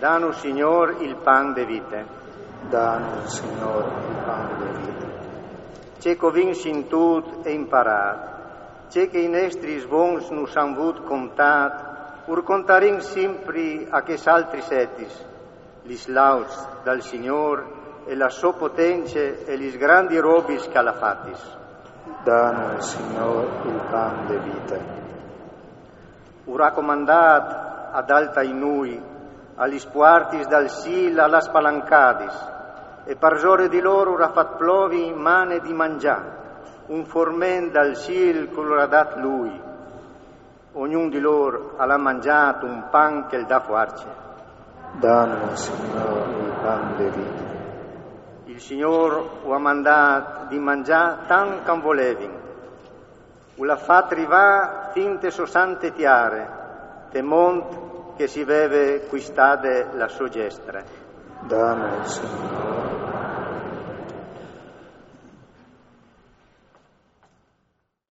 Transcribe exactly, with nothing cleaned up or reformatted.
Danu, Signôr, il pan de vite. Danu, Signôr, il pan de vite. Ce che o vin sintût e imparât, ce che i nestris vons nus àn vût contât, ur contarìn simpri a chês altris etis, lis lauds dal Signôr e la sô potence e lis grandis robis che al à fatis. Danu, Signôr, il pan de vite. Ur à comandât ad altai nûi, a lis puartis dal cîl al à spalancadis, e parsore di lôr ur à fat plovi mane di mangjâ, un forment dal cîl che ur à dât lui. Ognun di lôr al à mangjât un pan che al dà fuarce. Danu, Signôr, il pan de vite. Il Signôr ur à mandât di mangjâ tant che an volevin. Ur à fat rivâ fin te sô sante tiare, te mont che si veve cuistade la sô gjestre. Danu, Signôr,